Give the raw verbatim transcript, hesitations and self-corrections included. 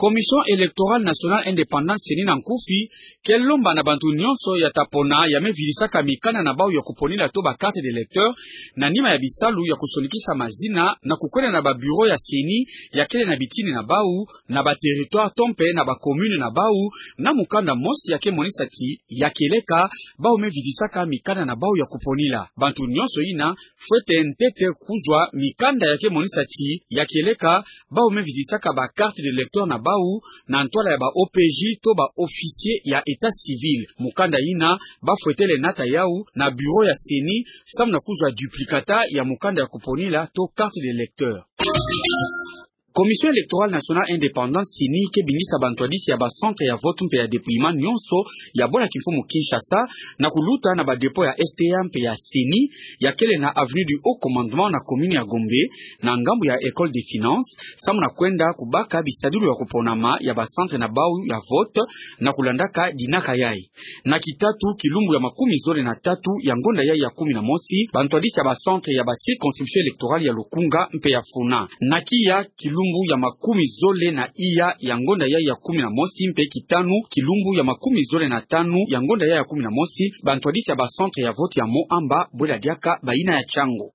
Commission Électorale Nationale Indépendante, CENI, na nkufi ke lomba na bantu nyonso ya ta pona ya me vidisaka mikanda na bawu ya kuponila to ba carte d'électeur, na nima ya bisalu ya kusonikisa mazina, na kukwenda na ba bureau ya CENI ya kele na bitini na bawu, na ba territoire to mpe na ba commune na bawu, na mukanda mosi ya ke monisa ti ya kieleka bawu me vidisaka mikanda na bawu ya kuponila. Bantu nyonso yina fwete ntete kuzwa mikanda ya ke monisa ti ya kieleka bawu me vidisaka ba carte d'électeur na bawu na ntwala ya ba OPJ to ba officier ya état civil. Mukanda yina ba fwetele nata yawu na bureau ya CENI, samu na kuzwa duplicata ya mukanda ya kuponila to carte d'électeur. Commission Électorale Nationale Indépendante, CENI, ke bingisa bantwadisi ya ba centre ya vote mpe ya dépouillement nyonso ya bwala kimfumu Kinshasa na kuluta na ba dépôt ya SDA mpe ya CENI, ya kele na avenue du Haut Commandement na commune ya Gombe, na ngambu ya École des Finances, samu na kwenda kubaka bisadulu ya kuponama ya ba centre na bawu ya vote, na kulandaka dinaka yayi. Na kitatu, kilumbu ya makumi zole na tatu ya ngonda yayi ya kumi na mosi, bantwadisi ya ba centre ya ba circonscription électorale ya Lukunga mpe ya Funa. Na kiya, kilumbu ya makumi zole na iya ya ngonda yayi ya kumi na mosi, mpe kitanu, kilumbu ya makumi zole na tanu ya ngonda yayi ya kumi na mosi, bantwadisi ya ba centre ya vote ya Moamba, bwela diaka bayina ya chango.